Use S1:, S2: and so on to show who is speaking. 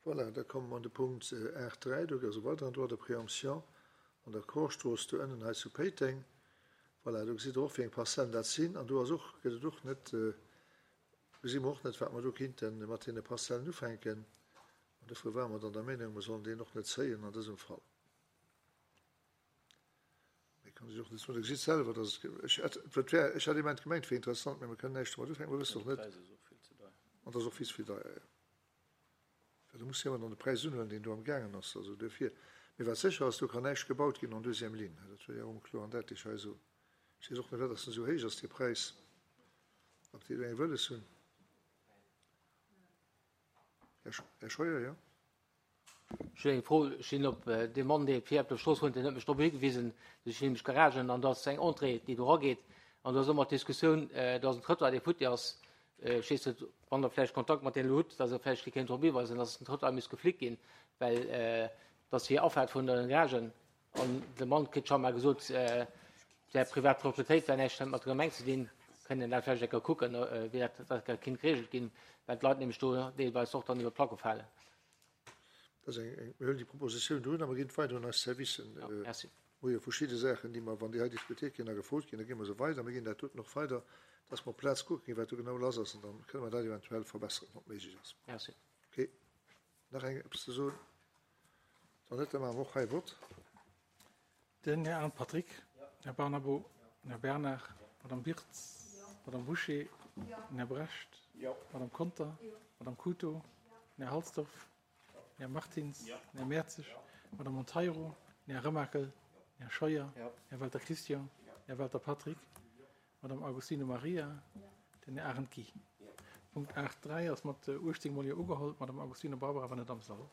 S1: Voilà, da komme mer an de Punkt 8.3, do ass e weideren Droit de préemption an der Korstrooss do ënnen hei zu Péiteng. Voilà, do gesitt Der och, wéi eng Parzellen dat sinn. An do ass och, gëtt et och net, gesi mer och net, wat mer do kinnte mat deene Parzellen ufänken. An dofir ware mer dann der Meenung, mer sollen deen och net zéien an dësem Fall. Méi kann ech och net soen. Der gesitt selwer, dass et, ech hätt, et wär, ech hätt immens gemengt, et wier interessant, mä mer kënnen näischt domat ufänken, mer wëssen och net. An et ass och vill ze vill deier, jo. Well do muss jo ëmmer dann de Präis unhuelen, deen do am gaangen ass. Also duerfir. Mee wat sécher ass, do kann näischt gebaut ginn en deuxième ligne. Dat wëll ech awer emol kloer an däitlech hei soen. Ech weess och net, wat dass en esou héich ass, dee Präis, ob déi do eng wëlles hunn. Här Scheuer, jo.
S2: Ech hunn eng Fro. Ech sinn op dee Mann, dee fir op der Strooss wunnt, deen huet mech drop higewisen, dass ech nämlech Garagen an do ass eng Entrée, déi do erageet. An do ass ëmmer d'Diskussioun, do ass en Trottoir, dee futti ass. Ech weess net, wann Der vläicht Kontakt mat deenen elo hutt, dass Der vläicht déi kéint drop hiweisen, dass den Trottoir misst geflickt ginn, well dat ass hir Afaart vun de Garagen. An de Mann kritt scho mar gesot, wär privat Proprietéit, wär näischt mat der Gemeng ze dinn. Kënnt een dat vläicht eng Kéier kucken, wéi dat dat kinnt geregelt ginn, well d'Leit nämlech do deelweis och dann iwwer d'Placke falen.
S1: Dat ass eng, eng, mir huelen déi Propositioun do un a mer ginn et weider un eis Servicen.
S2: Ja, merci.
S1: Mir hu jo verschidde Saachen, déi mer, wann déi hei diskutiert ginn a gefrot ginn, da gi mer se weider. Mir ginn dat doten och weider, dass mer op d'Plaz kucke ginn, wat do genau lass ass, an da kënne mer dat eventuell verbesseren, wann et méiglech ass.
S2: Merci.
S1: Okay. Nach eng eppes ze soen? Wann net, da maache mer och hei e Vott.
S3: Den Här Arndt Patrick, den Här Barnabo, den Här Bernard, d'Madame Birtz, d'Madame Bouché, den Här Brecht, d'Madame Conter, d'Madame Couto, den Här Halsdorf, den Här Martins, den Här Mertzig, d'Madame Monteiro, den Här Remakel, den Här Scheuer, den Här Welter Christian, den Här Welter Patrick, d'Madame Agostino Maria, den Här Arendt Guy. Punkt 8.3 ass mat 18 mol Jo ugeholl. D'Madame Agostino Barbara war net am Sall.